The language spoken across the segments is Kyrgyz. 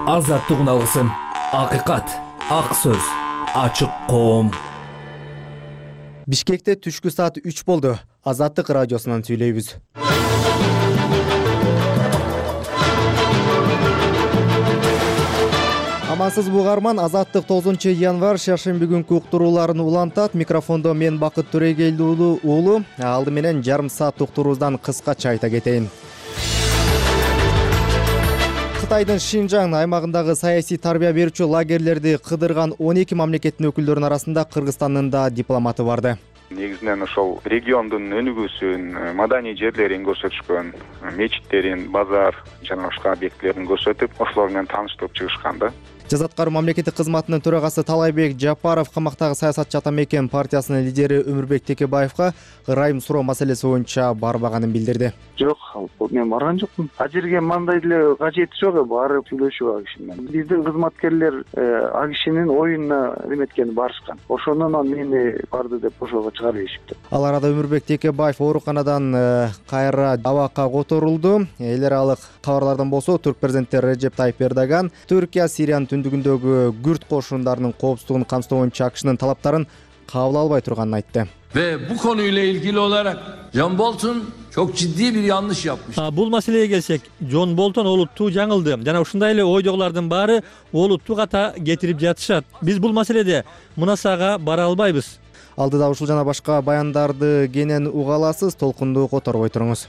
Азаттык алгысын, акыйкат, ак сөз, ачык коом. Бишкекте түшкү саат 3 болду. Азаттык радиосунан сүйлөйбүз. Амансызбы угарман, Азаттык 9 январь шаршемби күнкү уктурууларын улантат. Микрофондо мен Бакыт Төрегелди уулу. Алды менен жарым саат уктуруубуздан кыскача айта кетейин. Кытайдын Шинжаң аймагындагы саясий тарбия берүүчү лагерлерди кыдырган 12 мамлекеттин өкүлдөрүнүн арасында Кыргызстандын да дипломаты барды. Негизинен ошол региондун өнүгүүсүн, маданий жерлерин көрсөтүшкөн, мечиттерин, базар жана башка объектилерин көрсөтүп, ошолор менен тааныштырып чыгышкан да. Жаза аткаруу мамлекеттик кызматынын төрагасы Талайбек Жапаров камактагы саясатчы Атамекен партиясынын лидери Өмүрбек Текебаевка ырайым суроо маселеси боюнча барбаганын билдирди. Жок, мен барган жокмун. А жерге мындай деле кажети жок, барып сүйлөшүп ал киши менен. Биздин кызматкерлер ал кишинин оюнуна эметкени барышкан. Ошондон мени барды деп ошого чыгарып ийишиптир. Ал арада Өмүрбек Текебаев ооруканадан кайра абакка которулду. Эл аралык кабарлардан болсо, Түрк президенти Режеп Тайип Эрдоган Түркия Сириянын түндүгүндөгү күрд кошундарынын коопсуздугун камсыздоо боюнча АКШнын талаптарын кабыл албай турганын айтты. Ve bu konuyla ilgili olarak John Bolton çok ciddi bir yanlış yapmış. Бул маселеге келсек, Джон Болтон олуттуу жаңылды. Жана ушундай эле ойдогулардын баары олуттуу ката кетирип жатышат. Биз бул маселеде мунасага бара албайбыз. Алдыда ушул жана башка баяндарды кенен уга аласыз, толкунду которбой туруңуз.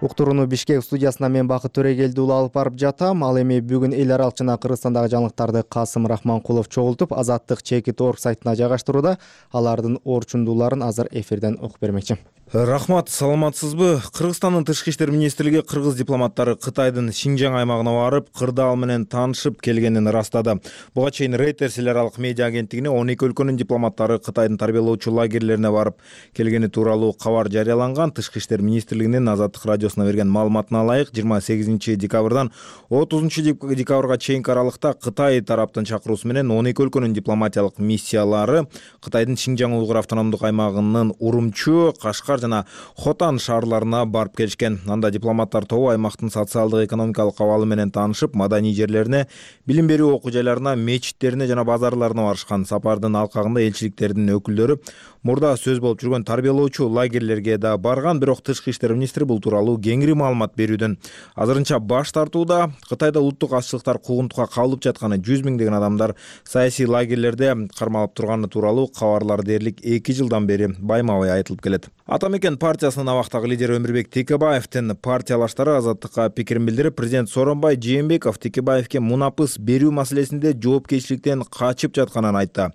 Уктурууну Бишкек студиясына мен Бакыт Төрегелди алып барып жатам. Ал эми бүгүн эл аралык жана Кыргызстандагы жаңылыктарды Касым Рахманкулов чогултуп, Азаттык Чекит.org сайтына жайгаштырууда. Алардын орчундууларын азыр эфирден угуп бермекчи. Рахмат, саламатсызбы? Кыргызстандын тышкы иштер министрлиги кыргыз дипломаттары Кытайдын Шинжаң аймагына барып, кырдаал менен таанышып келгенин ырастады. Буга чейин Reuters эл аралык медиа агенттигине 12 өлкөнүн дипломаттары Кытайдын тарбиялоочу лагерлерине барып келгени тууралуу кабар жарыяланган. Тышкы иштер министрлигинин Азаттык радиосуна берген маалыматына ылайык, 28 декабрдан 30 декабрга чейинки аралыкта Кытай тараптын чакыруусу менен 12 өлкөнүн дипломатиялык миссиялары Кытайдын Шинжаң уйгур автономдук аймагынын Урумчу, Кашкар жана Хотан шаарларына барып келишкен. Анда дипломаттар тобу аймактын социалдык экономикалык абалы менен таанышып, маданий жерлерине, билим берүү окуу жайларына, мечиттерине жана базарларына барышкан. Сапардын алкагында элчиликтердин өкүлдөрү мурда сөз болуп жүргөн тарбиялоочу лагерлерге да барган, бирок тышкы иштер министри бул тууралуу кеңири маалымат берүүдөн азырынча баш тартууда. Кытайда улуттук азчылыктар куугунтукка кабылып жатканы, 100 миңдеген адамдар саясий лагерлерде кармалып турганы тууралуу кабарлар дээрлик 2 жылдан бери байма-бай айтылып келет. Атамекен партиясынын абактагы лидери Өмүрбек Текебаевдин партиялаштары Азаттыкка пикирин билдирип, президент Сооронбай Жээнбеков Текебаевке мунапыс берүү маселесинде жоопкерчиликтен качып жатканын айтты.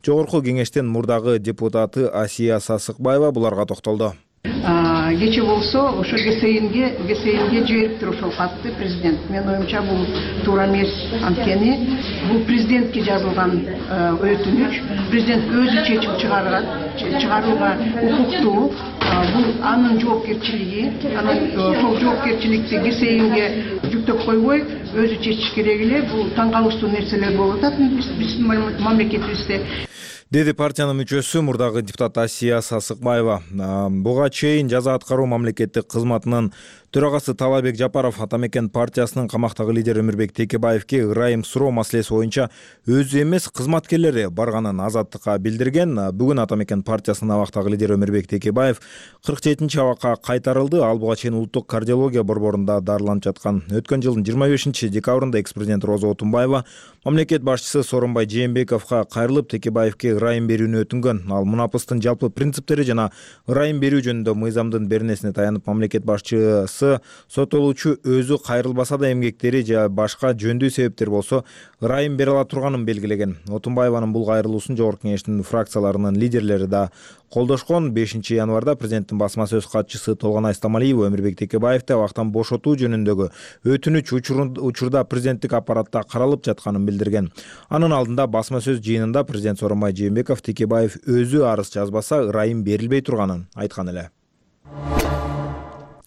Жогорку кеңештин мурдагы депутаты Асия Сасыкбаева буларга токтолду. Кече болсо ошо ГСМге жибериптир ошол катты президент. Мен оюмча бул туура эмес. Анткени бул президентке жазылган өтүнүч. Президент өзү чечим чыгарууга укуктуу. Бул анын жоопкерчилиги. Анан ошол жоопкерчиликти ГСМге жүктөп койбой, өзү чечиш керек эле. Бул таң калыштуу нерселер болуп атат биздин мамлекетибизде. Деди партиянын мүчөсү мурдагы депутат Асия Сасыкбаева. Буга чейин жаза аткаруу мамлекеттик кызматынын төрагасы Талайбек Жапаров Атамекен партиясынын камактагы лидери Өмүрбек Текебаевке ырайым суроо маселеси боюнча өзү эмес кызматкерлери барганын Азаттыкка билдирген. Бүгүн Атамекен партиясынын абактагы лидери Өмүрбек Текебаев 47 абакка кайтарылды. Ал буга чейин улуттук кардиология борборунда дарыланып жаткан. Өткөн жылдын 25 декабрында экс-президент Роза Отунбаева мамлекет башчысы Сооронбай Жээнбековго кайрылып Текебаевке ырайым берүүнү өтүнгөн. Ал мунапыстын жалпы принциптери жана ырайым берүү жөнүндө мыйзамдын беренесине таянып, мамлекет башчысы соттолуучу өзү кайрылбаса да эмгектери же башка жөндүү себептер болсо ырайым бере ала турганын белгилеген. Отунбаеванын бул кайрылуусун жогорку кеңештин фракцияларынын лидерлери да колдошкон. 5 январда президенттин басма сөз катчысы Толгонай Стамалиева Өмүрбек Текебаевди абактан бошотуу жөнүндөгү өтүнүч учурда президенттик аппаратта каралып жатканын билдирген. Анын алдында басма сөз жыйынында президент Сооронбай Жээнбеков Текебаев өзү арыз жазбаса ырайым берилбей турганын айткан эле.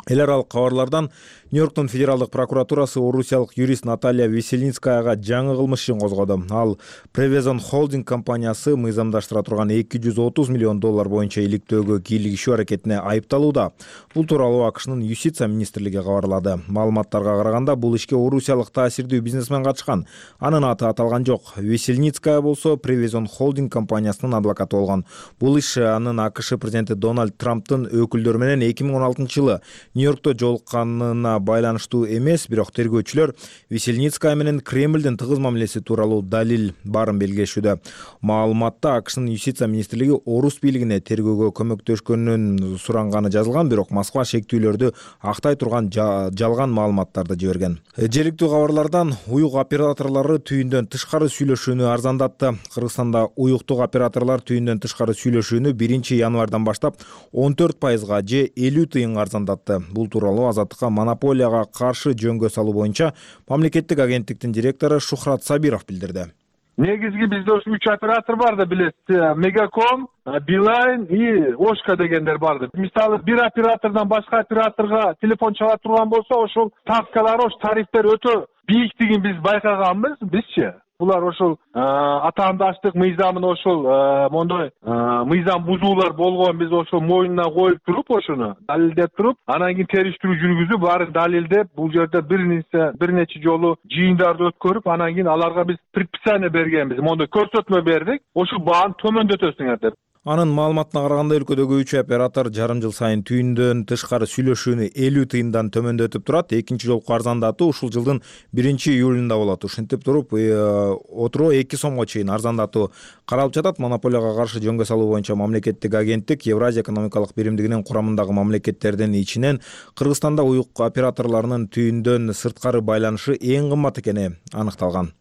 Эл аралык кабарлардан Нью-Йорктун федералдык прокуратурасы орусиялык юрист Наталья Веселинскаяга жаңы кылмыш ишин козгоду. Ал Prevezon Holding компаниясы мыйзамдаштыра турган $230 миллион боюнча иликтөөгө кийлигишүү аракетине айыпталууда. Бул тууралуу АКШнын юстиция министрлиги кабарлады. Маалыматтарга караганда бул ишке орусиялык таасирдүү бизнесмен катышкан. Анын аты аталган жок. Веселинская болсо Prevezon Holding компаниясынын адвокаты болгон. Бул иш анын АКШ президенти Дональд Трамптын өкүлдөрү менен 2016-жылы Нью-Йоркто жолукканына байланыштуу эмес, бирок тергөөчүлөр Веселинская менен Кремлдин тыгыз мамилеси тууралуу далил барын белгилешүүдө. Маалыматта АКШнын юстиция министрлиги орус бийлигине тергөөгө көмөктөшкөнүн суранганы жазылган, бирок Москва шектүүлөрдү актай турган жалган маалыматтарды жиберген. Желиктүү кабарлардан уюк операторлору түйүндөн тышкары сүйлөшүүнү арзандатты. Кыргызстанда уюктук операторлор түйүндөн тышкары сүйлөшүүнү 1-январдан баштап 14%га же 50 тыйынга арзандатты. Бул тууралуу Азаттыкка монополияга каршы жөнгө салуу боюнча мамлекеттик агенттиктин директору Шухрат Сабиров билдирди. Негизги бизде ошо 3 оператор барды, билесиз. Мегаком, Билайн и Ошка дегендер барды. Мисалы, бир оператордон башка операторго телефон чала турган болсо, ошол ставкалар, ошол тарифтер өтө бийиктигин биз байкаганбыз, бизчи. Булар ошол атаандаштык мыйзамын ошол мондой мыйзам бузуулар болгон, биз ошол мойнуна коюп туруп, ошону далилдеп туруп, анан кийин териштирүү жүргүзүп, баарын далилдеп, бул жерде бир нече жолу жыйындарды өткөрүп, анан кийин аларга биз предписание бергенбиз, мондой көрсөтмө бердик, ошол бааны төмөндөтөсүңөр деп. Анын маалыматына караганда өлкөдөгү 3 оператор жарым жыл сайын түйүндөн тышкары сүйлөшүүнү 50 тыйындан төмөндөтүп турат. Экинчи жолку арзандатуу ушул жылдын 1-июлунда болот. Ушинтип туруп отуруу 2 сомго чейин арзандатуу каралып жатат. Монополияга каршы жөнгө салуу боюнча мамлекеттик агенттик Евразия экономикалык биримдигинин курамындагы мамлекеттердин ичинен Кыргызстанда уюк операторлорунун түйүндөн сырткары байланышы эң кымбат экени аныкталган.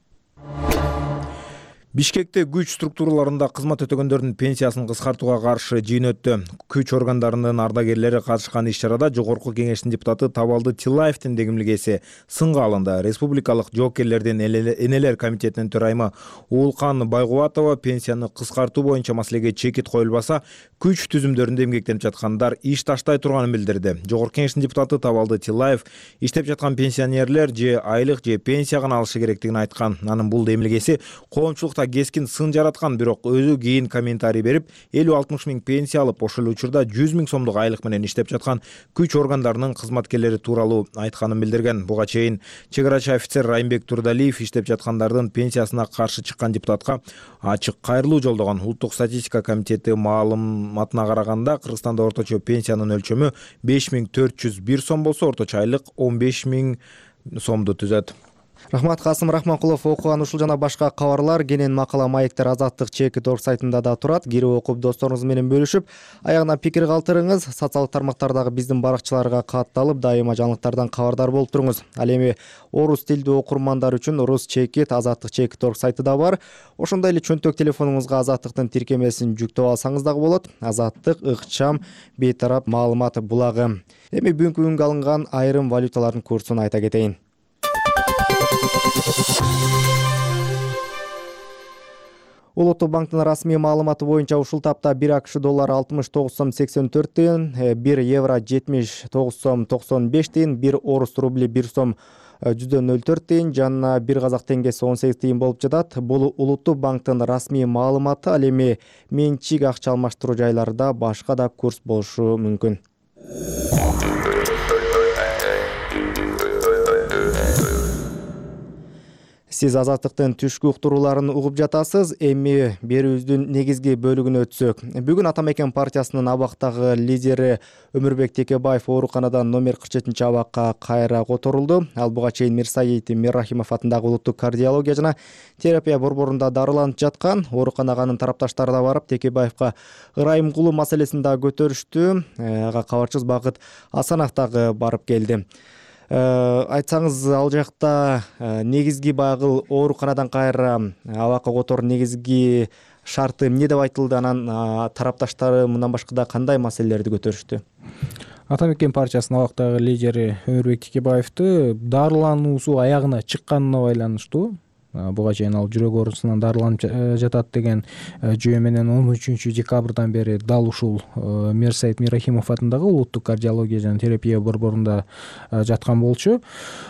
Бишкекте күч структураларында кызмат өтөгөндөрдүн пенсиясын кыскартууга каршы жыйын өттү. Күч органдарынын ардагерлери катышкан иш-чарада Жогорку кеңештин депутаты Табалды Тилаевдин дегимлигеси сынга алынды. Республикалык жоокерлердин энелер комитетинин төрайымы Уулкан Байгубатова пенсияны кыскартуу боюнча маселеге чекит коюлбаса, күч түзүмдөрүндө эмгектенип жаткандар иш таштай турганын билдирди. Жогорку кеңештин депутаты Табалды Тилаев иштеп жаткан пенсионерлер же айлык же пенсия гана алышы керектигин айткан. Анын бул демилгеси коомчулукта кескин сын жараткан, бирок өзү кийин комментарий берип, 50-60 миң пенсия алып, ошол учурда 100 миң сомдук айлык менен иштеп жаткан күч органдарынын кызматкерлери тууралуу айтканын билдирген. Буга чейин чек-арачы офицер Райымбек Турдалиев иштеп жаткандардын пенсиясына каршы чыккан депутатка ачык кайрылуу жолдогон. Улуттук статистика комитети маалыматына караганда, Кыргызстанда орточо пенсиянын өлчөмү 5401 сом болсо, орточо айлык 15 миң сомду түзөт. Рахмат, Касым Рахманкулов окуган ушул жана башка кабарлар кенен макала маектер Азаттык Чекит.org сайтында да турат. Кирип окуп досторуңуз менен бөлүшүп, аягына пикир калтырыңыз. Социалдык тармактардагы биздин баракчаларга катталып, дайыма жаңылыктардан кабардар болуп туруңуз. Ал эми орус тилдүү окурмандар үчүн Орус Чекит Азаттык Чекит.org сайты да бар. Ошондой эле чөнтөк телефонуңузга Азаттыктын тиркемесин жүктөп алсаңыз дагы болот. Азаттык ыкчам бейтарап маалымат булагы. Эми бүгүнкү күнгө алынган айрым валюталардын курсун айта кетейин. Улуттук банктын расмий маалыматы боюнча ушул тапта 1 АКШ доллары 69 сом 84 тыйын, 1 евро 79 сом 95 тыйын, 1 орус рубли 1 сом 104 тыйын жана 1 казак теңгеси 18 тыйын болуп жатат. Бул Улуттук банктын расмий маалыматы. Ал эми менчик акча алмаштыруу жайларында башка да курс болушу мүмкүн. Сиз Азаттыктын түшкү уктурууларын угуп жатасыз. Эми берүүбүздүн негизги бөлүгүнө өтсөк. Бүгүн Ата Мекен партиясынын абактагы лидери Өмүрбек Текебаев ооруканадан номер 47 абакка кайра которулду. Ал буга чейин Мирсаид Миррахимов атындагы улуттук кардиология жана терапия борборунда дарыланып жаткан. Ооруканага анын тарапташтары да барып, Текебаевка ырайым кылуу маселесин да көтөрүштү. Ага кабарчыбыз Багыт Асанов дагы барып келди. Айтсаңыз, ал жакта негизги баягы ооруканадан кайра абакка которуу негизги шарты эмне деп айтылды? Анан тарапташтары мындан башка да кандай маселелерди көтөрүштү? Ата Мекен партиясынын абактагы лидери Өмүрбек Текебаевди дарылануусу аягына чыкканына байланыштуу буга чейин ал жүрөк оорусунан дарыланып жатат деген жүйө менен 13 декабрдан бери дал ушул Мирсайыт Мирахимов атындагы улуттук кардиология жана терапия борборунда жаткан болчу.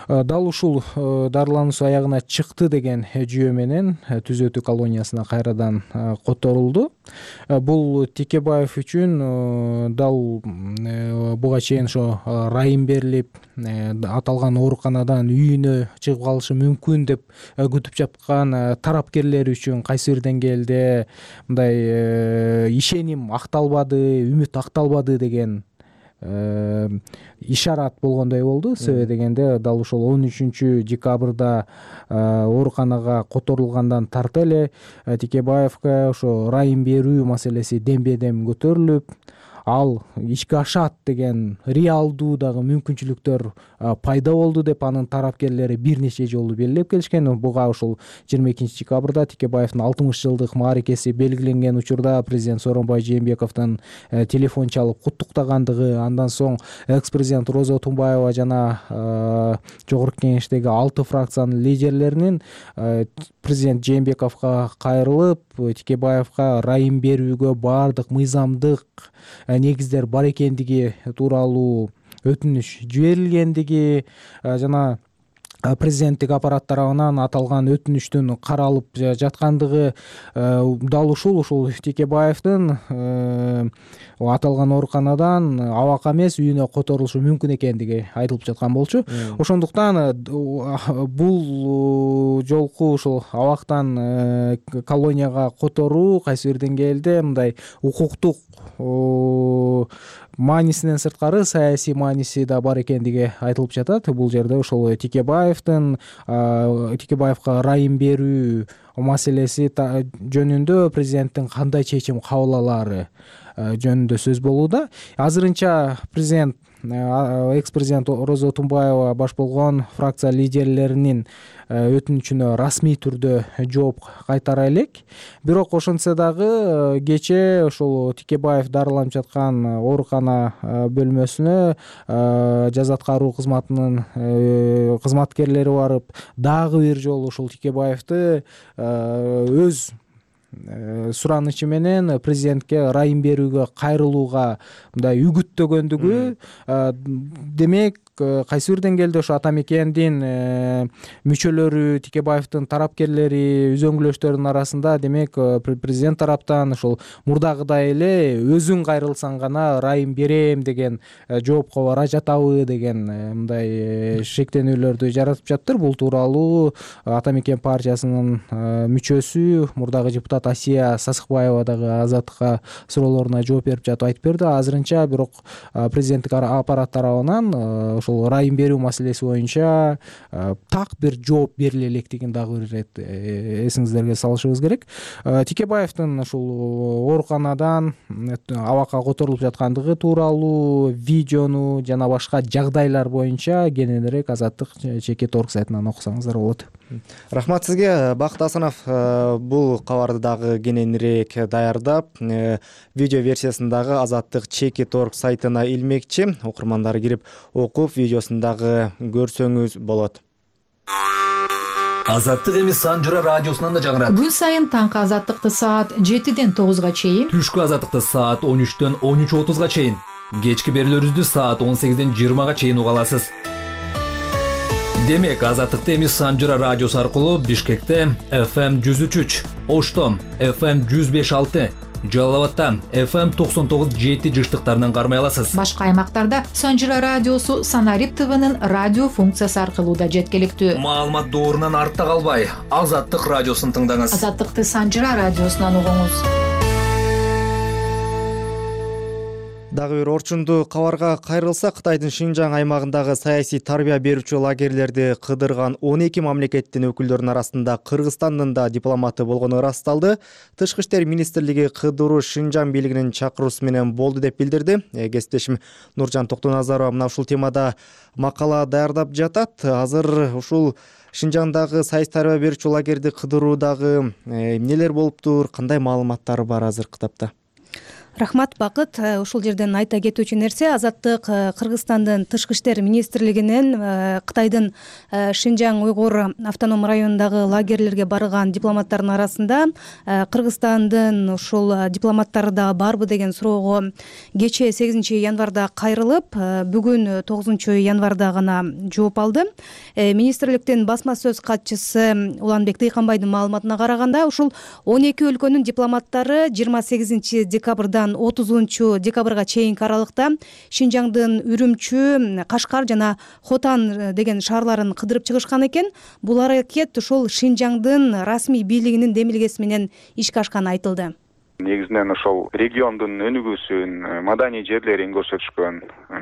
Дал ушул дарылануусу аягына чыкты деген жүйө менен түзөтүү колониясына кайрадан которулду. Бул Текебаев үчүн дал буга чейин ошо райым берилип, аталган ооруканадан үйүнө чыгып калышы мүмкүн деп күтүп жаткан тарапкерлер үчүн кайсы бир деңгээлде мындай ишеним акталбады, үмүт акталбады деген ишарат болгондой болду. Себеби дегенде дал ушул 13 декабрда ооруканага которулгандан тарта эле Текебаевга ошо райым берүү маселеси дембедем көтөрүлүп, ал ишке ашат деген реалдуу дагы мүмкүнчүлүктөр пайда болду деп анын тарапкерлери бир нече жолу белгилеп келишкен. Буга ушул 22 декабрда Текебаевдин 60 жылдык мааракеси белгиленген учурда президент Сооронбай Жээнбековдун телефон чалып куттуктагандыгы, андан соң экс-президент Роза Тумбаева жана жогорку кеңештеги 6 фракциянын лидерлеринин президент Жээнбековго кайрылып, Текебаевга райым берүүгө баардык мыйзамдык негиздер бар экендиги тууралуу өтүнүш жиберилгендиги жана президенттик аппарат тарабынан аталган өтүнүчтүн каралып жаткандыгы, дал ушул Текебаевдин аталган ооруканадан абакка эмес үйүнө которулушу мүмкүн экендиги айтылып жаткан болчу. Ошондуктан бул жолку ушул абактан колонияга которуу кайсы бир деңгээлде мындай укуктук маанисинен сырткары саясий мааниси да бар экендиги айтылып жатат. Бул жерде ошол Текебаевга райым берүү маселеси жөнүндө президенттин кандай чечим кабыл алаары жөнүндө сөз болууда. Азырынча президент экс-президент Роза Тумбаева баш болгон фракция лидерлеринин өтүнүчүнө расмий түрдө жооп кайтара элек. Бирок ошентсе дагы кечээ ошол Текебаев дарыланып жаткан оорукана бөлмөсүнө жаза аткаруу кызматынын кызматкерлери барып, дагы бир жолу ушул Текебаевди өз суранычы менен президентке райым берүүгө кайрылууга мындай үгүттөгөндүгү, демек кайсы бир деңгээлде ошо ата мекендин мүчөлөрү, Текебаевдин тарапкерлери, үзөңгүлөштөрдүн арасында демек президент тараптан ошол мурдагыдай эле өзүң кайрылсаң гана райым берем деген жоопко бара жатабы деген мындай шектенүүлөрдү жаратып жатыр. Бул тууралуу Ата мекен партиясынын мүчөсү, мурдагы депутат Асия Сасыкбаева дагы Азаттыкка суроолоруна жооп берип жатып айтып берди. Азырынча бирок президенттик аппарат тарабынан ошол райым берүү маселеси боюнча так бир жооп бериле электигин дагы бир ирет эсиңиздерге салышыбыз керек. Текебаевдин ушул ооруканадан абакка которулуп жаткандыгы тууралуу видеону жана башка жагдайлар боюнча кененирээк Азаттык ЧК.org сайтынан окусаңыздар болот. Рахмат сизге, Бакыт Асанов. Бул кабарды дагы кененирээк даярдап, видео версиясын дагы Азаттык ЧК.org сайтына илмекчи. Окурмандар кирип окуп, видеосун дагы көрсөңүз болот. Азаттык эми Санжыра радиосунан да жаңырат. Күн сайын таңкы Азаттыкты саат 7-ден 9-га чейин, түшкү Азаттыкты саат 13-төн 13:30-га чейин, кечки берүүлөрүбүздү саат 18-ден 20-га чейин уга аласыз. Демек, Азаттыкты эми Санжыра радиосу аркылуу Бишкекте FM 103, Оштом FM 105.6, Жалал Абадта FM 99.7 жыштыктарынан кармай аласыз. Башка аймактарда Санжыра радиосу Санарип ТВнын радио функциясы аркылуу да жеткиликтүү. Маалымат доорунан артта калбай, Азаттык радиосун тыңдаңыз. Азаттыкты Санжыра радиосунан угуңуз. Дагы бир орчундуу кабарга кайрылсак, Кытайдын Шинжаң аймагындагы саясий тарбия берүүчү лагерлерди кыдырган 12 мамлекеттин өкүлдөрүнүн арасында Кыргызстандын да дипломаты болгону ырасталды. Тышкы иштер министрлиги кыдыруу Шинжаң бийлигинин чакыруусу менен болду деп билдирди. Кесиптешим Нуржан Токтоназарова мына ушул темада макала даярдап жатат. Азыр ушул Шинжаңдагы саясий тарбия берүүчү лагерди кыдыруудагы эмнелер болуптур, кандай маалыматтар бар азыр кытапта? Рахмат, Бакыт. Ушул жерден айта кетүүчү нерсе, Азаттык Кыргызстандын тышкы иштер министрлигинин Кытайдын Шинжаң уйгур автоном районундагы лагерлерге барган дипломаттардын арасында Кыргызстандын ушул дипломаттары да барбы деген суроого кечээ 8 январда кайрылып, бүгүн 9 январда гана жооп алды. Министрликтин басма сөз катчысы Уланбек Дыйканбайдын маалыматына караганда, ушул 12 өлкөнүн дипломаттары 28 декабрдан 30 декабрга чейинки аралыкта Шинжаңдын Үрүмчү, Кашкар жана Хотан деген шаарларын кыдырып чыгышкан экен. Бул аракет ушул Шинжаңдын расмий бийлигинин демилгеси менен ишке ашканы айтылды. Негизинен ошол региондун өнүгүүсүн, маданий жерлерин көрсөтүшкөн,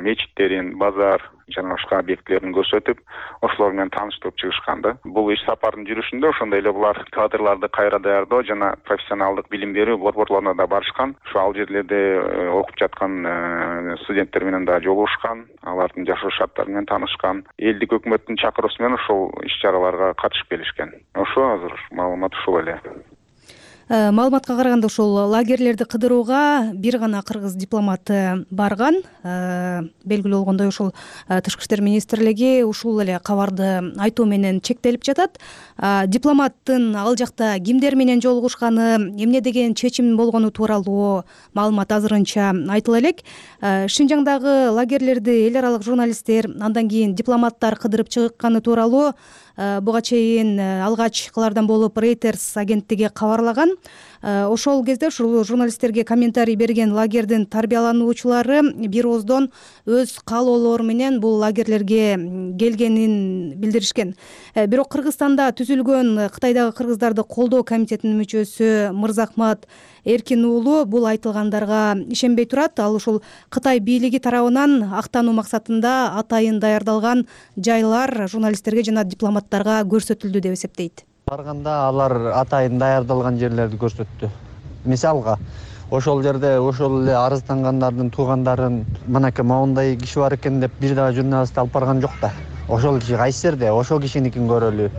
мечиттерин, базар жана башка объектилерин көрсөтүп, ошолор менен тааныштырып чыгышкан да. Бул иш сапардын жүрүшүндө ошондой эле булар кадрларды кайра даярдоо жана профессионалдык билим берүү борборлоруна да барышкан. Ошо ал жерлерде окуп жаткан студенттер менен да жолугушкан, алардын жашоо шарттары менен таанышкан. Элдик өкмөттүн чакыруусу менен ошол иш-чараларга катышып келишкен. Ошо азыр маалымат ушул эле. Маалыматка караганда ушул лагерлерди кыдырууга бир гана кыргыз дипломаты барган. Белгилүү болгондой, ушул тышкы иштер министрлиги ушул эле кабарды айтуу менен чектелип жатат. Дипломаттын ал жакта кимдер менен жолугушканы, эмне деген чечим болгону тууралуу маалымат азырынча айтыла элек. Шинжаңдагы лагерлерди эл аралык журналисттер, андан кийин дипломаттар кыдырып чыкканы тууралуу буга чейин алгач кылардан болуп Reuters агенттиги кабарлаган. Ошол кезде ушул журналисттерге комментарий берген лагердин тарбиялануучулары бир ооздон өз каалоолору менен бул лагерлерге келгенин билдиришкен. Бирок Кыргызстанда түзүлгөн Кытайдагы кыргыздарды колдоо комитетинин мүчөсү Мырзахмат Эркин уулу бул айтылгандарга ишенбей турат. Ал ушул Кытай бийлиги тарабынан актануу максатында атайын даярдалган жайлар журналисттерге жана дипломаттарга көрсөтүлдү деп эсептейт. Барганда алар атайын даярдалган жерлерди көрсөттү. Мисалга, ошол жерде ошол эле арыздангандардын туугандарын мынакей моундай киши бар экен деп бир дагы журналист алып барган жок да. Ошол киши кайсы жерде, ошол кишиникин көрөлү.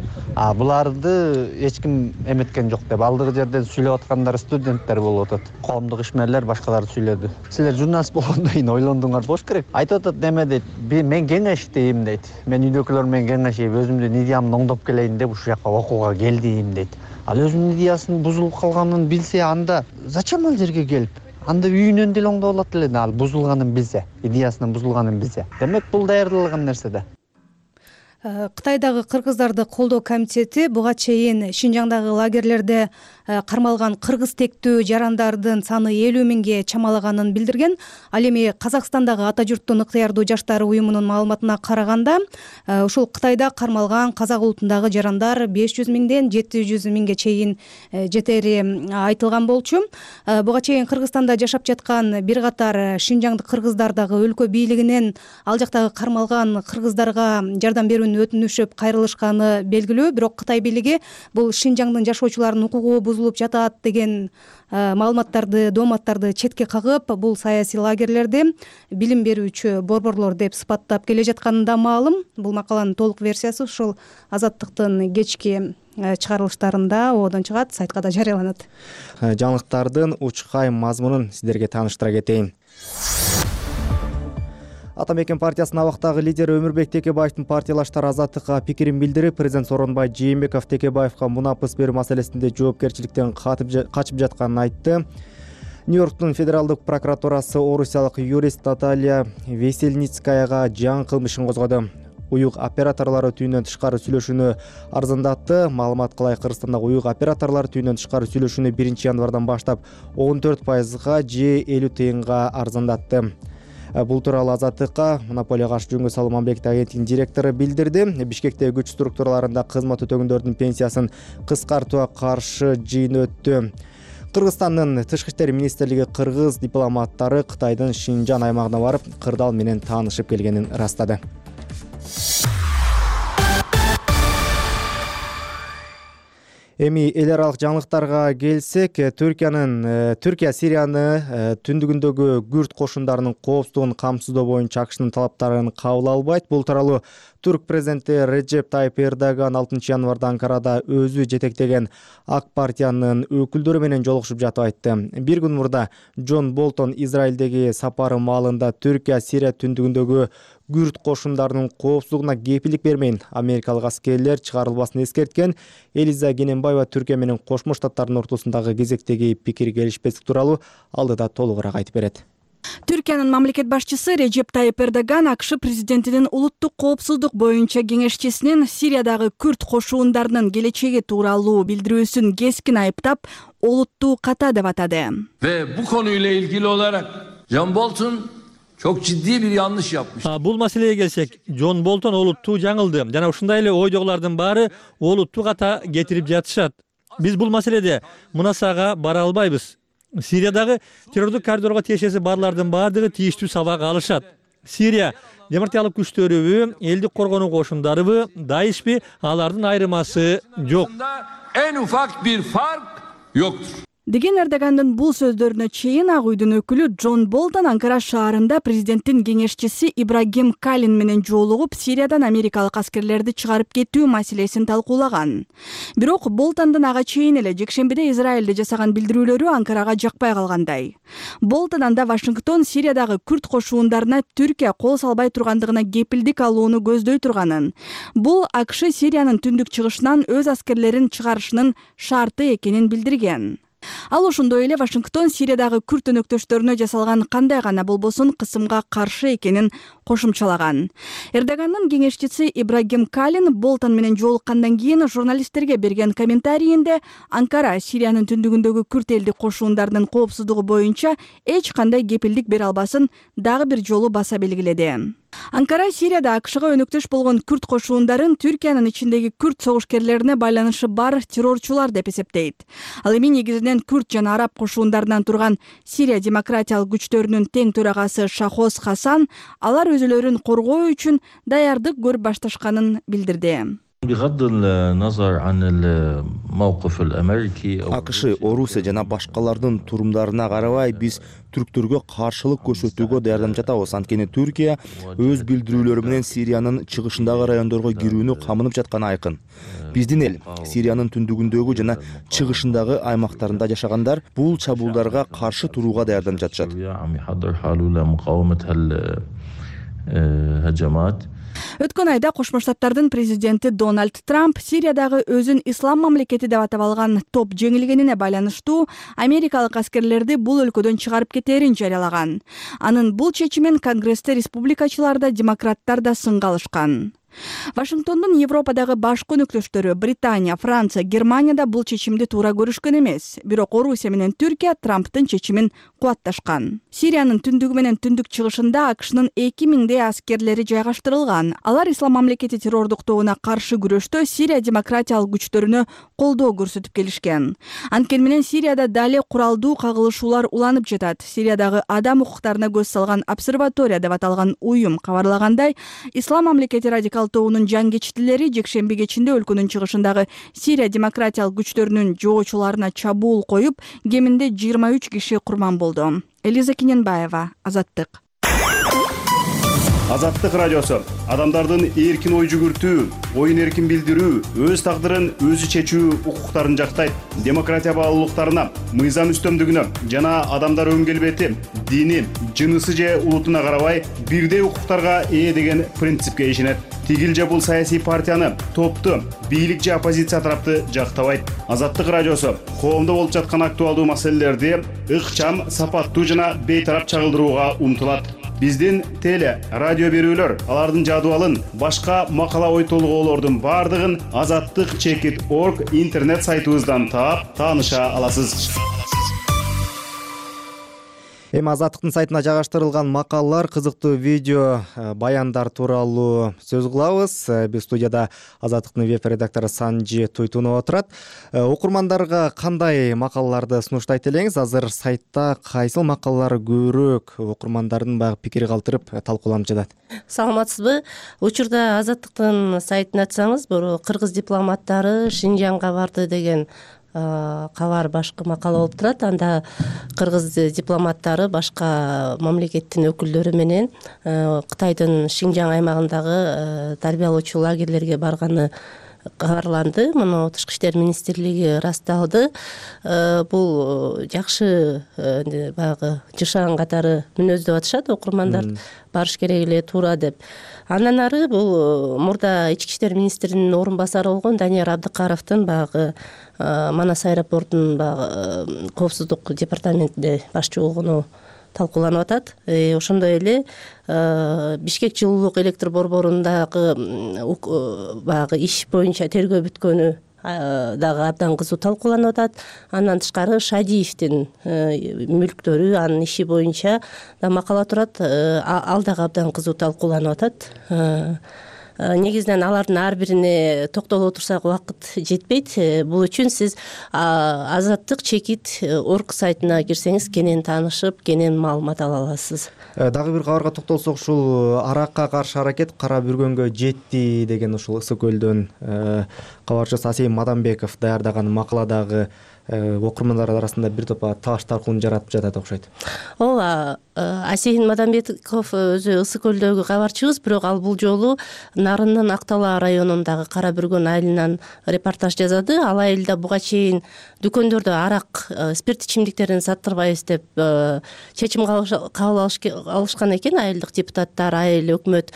Буларды эч ким эметкен жок деп. Алдыгы жерден сүйлөп аткандар студенттер болуп атат. Коомдук ишмерлер башкалар сүйлөдү. Силер журналист болгондон кийин ойлондуңар болуш керек. Айтып атат неме дейт. Мен кеңеш дейм дейт. Мен үйдөгүлөр менен кеңешип, өзүмдүн идеямды оңдоп келейин деп ушул жака окууга келдим дейт. Ал өзүнүн идеясынын бузулуп калганын билсе, анда зачем ал жерге келип? Анда үйүнөн деле оңдоп алат эле, ал бузулганын билсе, идеясынын бузулганын билсе. Демек бул даярдалган нерсе да. Кытайдагы кыргыздарды колдоо комитети буга чейин Шинжаңдагы лагерлерде кармалган кыргыз тектүү жарандардын саны 50 миңге чамалаганын билдирген. Ал эми Казакстандагы Ата журттун ыктыярдуу жаштары уюмунун маалыматына караганда, ушул Кытайда кармалган казак улутундагы жарандар 500 миңден 700 миңге чейин жетери айтылган болчу. Буга чейин Кыргызстанда жашап жаткан бир катар шинжаңдык кыргыздар дагы өлкө бийлигинен ал жактагы кармалган кыргыздарга жардам берүүнү өтүнүшүп кайрылышканы белгилүү. Бирок Кытай бийлиги бул Шинжаңдын жашоочуларынын укугу бузулуп жатат деген маалыматтарды, дооматтарды четке кагып, бул саясий лагерлерди билим берүүчү борборлор деп сыпаттап келе жатканы да маалым. Бул макаланын толук версиясы ушул Азаттыктын кечки чыгарылыштарында оодон чыгат, сайтка да жарыяланат. Жаңылыктардын учкай мазмунун сиздерге тааныштыра кетейин. Ата мекен партиясынын абактагы лидери Өмүрбек Текебаевдин партиялаштары Азаттыкка пикирин билдирип, президент Сооронбай Жээнбеков Текебаевга мунапыс берүү маселесинде жоопкерчиликтен качып жатканын айтты. Нью-Йорктун федералдык прокуратурасы орусиялык юрист Наталья Весельницкаяга жаңы кылмыш ишин козгоду. Уюк операторлору түйүндөн тышкары сүйлөшүүнү арзандатты. Маалымат кылай, Кыргызстандагы уюк операторлору түйүндөн тышкары сүйлөшүүнү 1 январдан баштап 14%га же 50 тыйынга арзандатты. Бул тууралуу Азаттыкка монополияга каршы жөнгө салуу мамлекеттик агенттигинин директору билдирди. Бишкектеги күч структураларында кызмат өтөгөндөрдүн пенсиясын кыскартууга каршы жыйын өттү. Кыргызстандын тышкы иштер министрлиги кыргыз дипломаттары Кытайдын Шинжан аймагына барып, кырдаал менен таанышып келгенин ырастады. Эми эл аралык жаңылыктарга келсек, Түркия Сирияны түндүгүндөгү күрд кошундарынын коопсуздугун камсыздоо боюнча АКШнын талаптарын кабыл албайт. Бул тууралуу Түрк президенти Реджеп Тайып Эрдоган 6 январда Анкарада өзү жетектеген ак партиянын өкүлдөрү менен жолугушуп жатып айтты. Бир күн мурда Джон Болтон Израилдеги сапары маалында Түркия Сирия түндүгүндөгү күрд кошундарынын коопсуздугуна кепилдик бермейин америкалык аскерлер чыгарылбасын эскерткен. Элиза Кененбаева Түркия менен Кошмо Штаттардын ортосундагы кезектеги пикир келишпестик тууралуу алдыда толугураак айтып берет. Түркиянын мамлекет башчысы Реджеп Тайып Эрдоган АКШ президентинин улуттук коопсуздук боюнча кеңешчисинин Сириядагы күрд кошуундарынын келечеги тууралуу билдирүүсүн кескин айыптап, олуттуу ката деп атады. Ve bu konuyla ilgili olarak John Bolton çok ciddi bir yanlış yapmış. Бул маселеге келсек, Джон Болтон олуттуу жаңылды. Жана ушундай эле ойдогулардын баары олуттуу ката кетирип жатышат. Биз бул маселеде мунасага бара албайбыз. Сириядагы террордук коридорго тиешеси барлардын баардыгы тийиштүү сабак алышат. Сирия демократиялык күчтөрүбү, элдик коргонуу кошундарыбы, Даишпи, алардын айырмасы жок. En ufak bir fark yoktur. Деген Эрдогандын бул сөздөрүнө чейин Ак үйдүн өкүлү Джон Болтон Анкара шаарында президенттин кеңешчиси Ибрагим Калин менен жолугуп, Сириядан америкалык аскерлерди чыгарып кетүү маселесин талкуулаган. Бирок Болтондун ага чейин эле жекшембиде Израилде жасаган билдирүүлөрү Анкарага жакпай калгандай. Болтон анда Вашингтон Сириядагы күрд кошуундарына Түркия кол салбай тургандыгына кепилдик алууну көздөй турганын. Бул АКШ Сириянын түндүк чыгышынан өз аскерлерин чыгарышынын шарты экенин билдирген. Ал ошондой эле Вашингтон Сириядагы күрд өнөктөштөрүнө жасалган кандай гана болбосун кысымга каршы экенин кошумчалаган. Эрдогандын кеңешчиси Ибрагим Калин Болтон менен жолуккандан кийин журналисттерге берген комментарийинде Анкара Сириянын түндүгүндөгү күрд элдик кошуундарынын коопсуздугу боюнча эч кандай кепилдик бере албасын дагы бир жолу баса белгиледи. Анкара Сирияда АКШга өнөктөш болгон күрд кошуундарын Түркиянын ичиндеги күрд согушкерлерине байланышы бар террорчулар деп эсептейт. Ал эми негизинен күрд жана араб кошуундарынан турган Сирия демократиялык күчтөрүнүн тең төрагасы Шахоз Хасан алар өзүлөрүн коргоо үчүн даярдык көрүп башташканын билдирди. АКШ, Орусия жана башкалардын турумдарына карабай биз түрктөргө каршылык көрсөтүүгө даярданып жатабыз. Анткени Түркия өз билдирүүлөрү менен Сириянын чыгышындагы райондорго кирүүнү камынып жатканы айкын. Биздин эл Сириянын түндүгүндөгү жана чыгышындагы аймактарында жашагандар бул чабуулдарга каршы турууга даярданып жатышат. Өткөн айда Кошмо Штаттардын президенти Дональд Трамп Сириядагы өзүн ислам мамлекети деп атап алган топ жеңилгенине байланыштуу америкалык аскерлерди бул өлкөдөн чыгарып кетээрин жарыялаган. Анын бул чечимин Конгрессте республикачылар да, демократтар да сынга алышкан. Вашингтондун Европадагы башкы өнөктөштөрү Британия, Франция, Германия да бул чечимди туура көрүшкөн эмес. Бирок Орусия менен Түркия Трамптын чечимин кубатташкан. Сириянын түндүгү менен түндүк чыгышында АКШнын 2000 аскерлери жайгаштырылган. Алар ислам мамлекети террордук тобуна каршы күрөштө Сирия демократиялык күчтөрүнө колдоо көрсөтүп келишкен. Анткени менен Сирияда дале куралдуу кагылышуулар уланып жатат. Сириядагы адам укуктарына көз салган обсерватория деп аталган уюм кабарлагандай, ислам мамлекети радикал тобунун жангечтилери жекшемби кечинде өлкөнүн чыгышындагы Сирия демократиялык күчтөрүнүн жоочуларына чабуул коюп, кеминде 23 киши курман болду. Элиза Кененбаева, Азаттык. Азаттык радиосу адамдардын эркин ой жүгүртүү, оюн эркин билдирүү, өз тагдырын өзү чечүү укуктарын жактайт. Демократия баалуулуктарына, мыйзам үстөмдүгүнө жана адамдар өн келбети, дини, жынысы же улутуна карабай бирдей укуктарга ээ деген принципке ишенет. Тигил же бул саясий партияны, топту, бийлик же оппозиция тарапты жактабайт. Азаттык радиосу коомдо болуп жаткан актуалдуу маселелерди ыкчам, сапаттуу жана бейтарап чагылдырууга умтулат. Биздин теле, радио берүүлөр, алардын жадыбалын, башка макала ой толгоолордун бардыгын azattik.org интернет сайтыбыздан таап, тааныша аласыз. Эми Азаттыктын сайтына жайгаштырылган макалалар, кызыктуу видео, баяндар тууралуу сөз кылабыз. Биз студияда Азаттыктын веб-редактору Санжи Туйтунова отурат. Окурмандарга кандай макалаларды сунуштайт элеңиз? Азыр сайтта кайсыл макалалар көбүрөөк окурмандардын баягы пикири калтырып талкууланып жатат? Саламатсызбы? Учурда Азаттыктын сайтын ачсаңыз, бул кыргыз дипломаттары Шинжаңга барды деген кабар башкы макала болуп турат. Анда кыргыз дипломаттары башка мамлекеттин өкүлдөрү менен Кытайдын Шинжаң аймагындагы тарбиялоочу лагерлерге барганы кабарланды. Муну Тышкы иштер министрлиги ырасталды. Бул жакшы баягы жышаан катары мүнөздөп атышат окурмандар, барыш керек эле, туура деп. Андан ары бул мурда ички иштер министринин орун басары болгон Данияр Абдыкаровдун баягы Манас аэропортунун баягы коопсуздук департаментинде башчы болгону талкууланып атат. Ошондой эле Бишкек жылуулук электр борборундагы баягы иш боюнча тергөө бүткөнү дагы абдан кызуу талкууланып атат. Андан тышкары Шадиевдин мүлктөрү, анын иши боюнча да макала турат. Ал дагы абдан кызуу талкууланып атат. Негизинен алардын ар бирине токтолуп отурсак убакыт жетпейт. Бул үчүн сиз Азаттык чекит орг сайтына кирсеңиз кенен таанышып, кенен маалымат ала аласыз. Дагы бир кабарга токтолсок, ушул аракка каршы аракет кара бүргөнгө жетти деген ушул Ысык көлдөн кабарчы Асейин Мадамбеков даярдаган макаладагы окурмандар арасында бир топ таш талкуун жаратып жатат окшойт. Ооба, Асейин Мадамбеков өзү Ысык көлдөгү кабарчыбыз, бирок ал бул жолу Нарындын Актала районундагы Кара бүргөн айылынан репортаж жазады. Ал айылда буга чейин дүкөндөрдө арак, спирт ичимдиктерин саттырбайбыз деп чечим кабыл алышкан экен айылдык депутаттар, айыл, өкмөт.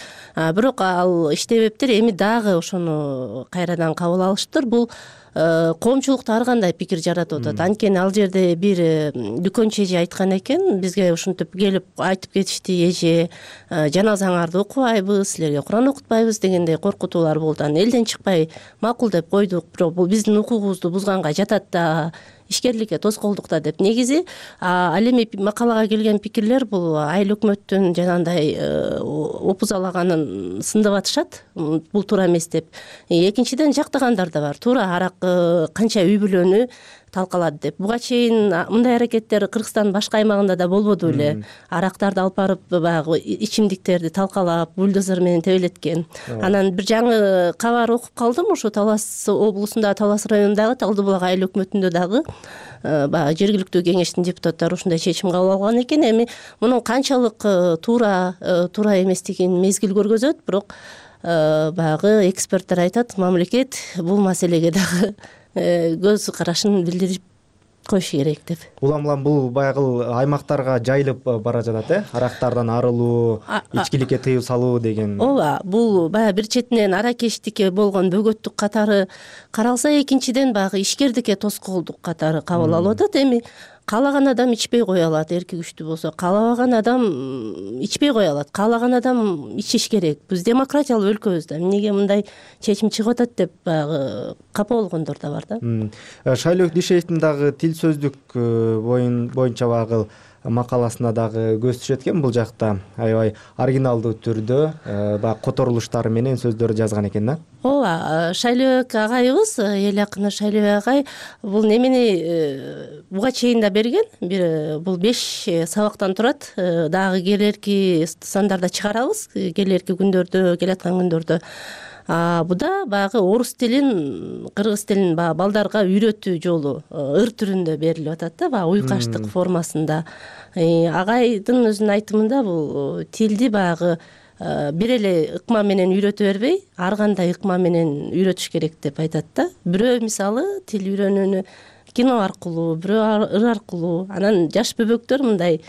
Бирок ал иштебептир. Эми дагы ошону кайрадан кабыл алыштыр. Бул коомчулукта ар кандай пикир жаратып атат. Анткени ал жерде бир дүкөнчү эже айткан экен, бизге ушинтип келип айтып кетишти, эже жаназаңарды окубайбыз, силерге Куран окутпайбыз дегендей коркутуулар болду. Анан элден чыкпай макул деп койдук, бирок бул биздин укугубузду бузганга жатат да, ишкерликке тоскоолдук да деп. Негизи ал эми макалага келген пикирлер бул айыл өкмөттүн жанагындай опузалаганын сындап атышат. Бул туура эмес деп. Экинчиден жактагандар да бар. Туура арак канча үй бүлөнү талкалады деп. Буга чейин мындай аракеттер Кыргызстандын башка аймагында да болбоду беле. Арактарды алып барып баягы ичимдиктерди талкалап, бульдозер менен тебелеткен. Анан бир жаңы кабар окуп калдым, ушу Талас облусунда, Талас районундагы Талдыбулак айыл өкмөтүндө дагы баягы жергиликтүү кеңештин депутаттары ушундай чечим кабыл алган экен. Эми мунун канчалык туура эместигин мезгил көргөзөт, бирок баягы эксперттер айтат, мамлекет бул маселеге дагы көз карашын билдирип коюшу керек деп. Улам бул баягы аймактарга жайылып бара жатат, арактардан арылуу, ичкиликке тыюу салуу деген. Ооба, бул баягы бир четинен аракечтикке болгон бөгөттүк катары каралса, экинчиден баягы ишкердикке тоскоолдук катары кабыл алып атат. Эми каалаган адам ичпей кое алат, эрки күчтүү болсо. Каалабаган адам ичпей кое алат. Каалаган адам ичиш керек. Биз демократиялуу өлкөбүз да. Эмнеге мындай чечим чыгып атат деп баягы капа болгондор да бар да. Шайлоо Дишеевдин дагы тил сөздүк боюнча багыл макаласына дагы көз түшөт экен. Бул жакта аябай оригиналдуу түрдө баягы которулуштары менен сөздөр жазган экен да. Ооба, Шайлообек агайыбыз, эл акыны Шайлообек агай бул немени буга чейин да берген. Бул 5 сабактан турат. Дагы келерки сандарда чыгарабыз. Келерки күндөрдө, келаткан күндөрдө. Буда баягы орус тилин, кыргыз тилин балдарга үйрөтүү жолу ыр түрүндө берилип атат да, баягы уйкаштык формасында. Агайдын өзүнүн айтымында бул тилди баягы бир эле ыкма менен үйрөтө бербей, ар кандай ыкма менен үйрөтүш керек деп айтат да. Бирөө мисалы тил үйрөнүүнү кино аркылуу, бирөө ыр аркылуу, анан жаш бөбөктөр мындай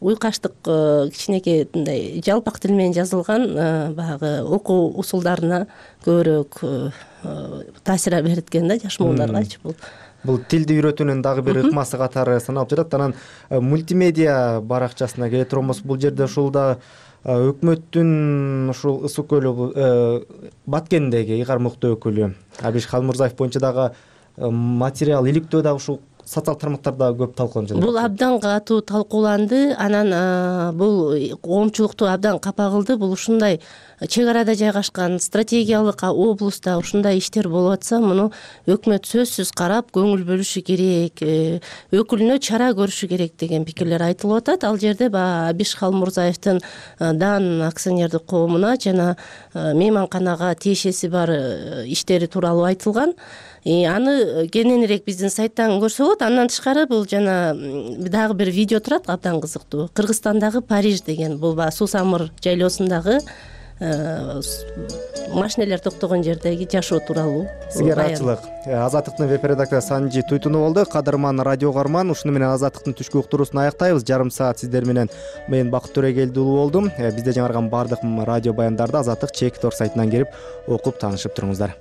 уйкаштык кичинекей мындай жалпак тил менен жазылган баягы окуу усулдарына көбүрөөк таасир берет экен да, жаш муундаргачы бул. Бул тилди үйрөтүүнүн дагы бир ыкмасы катары саналып жатат. Анан мультимедиа баракчасына келе турганбыз, бул жерде ушул да өкмөттүн ушул Ысык көл Баткендеги ыйгармыктуу өкүлү Абиш Халмурзаев боюнча дагы материал иликтөө дагы ушул социалдык тармактарда көп талкууланып жатат. Бул абдан катуу талкууланды. Анан бул коомчулукту абдан капа кылды. Бул ушундай чек арада жайгашкан стратегиялык облустта ушундай иштер болуп атса, муну өкмөт сөзсүз карап, көңүл бөлүшү керек, өкүлүнө чара көрүшү керек деген пикирлер айтылып атат. Ал жерде Абиш Халмурзаевдин Дан акционердик коомуна жана мейманканага тиешеси бар иштери тууралуу айтылган. Аны кененирээк биздин сайттан көрсө болот. Андан тышкары бул жана дагы бир видео турат, абдан кызыктуу. Кыргызстандагы Париж деген, бул баягы Сусамыр жайлоосундагы машинелер токтогон жердеги жашоо тууралуу. Сизге ыраазычылык. Азаттыктын веб редактору Санжи Туйтунов болду. Кадырман радио каарман, ушуну менен Азаттыктын түшкү уктуруусун аяктайбыз. Жарым саат сиздер менен мен Бакыт Төрөгелди уулу болдум. Бизде жаңырган баардык радио баяндарды Азаттык чек тор сайтынан кирип окуп таанышып туруңуздар.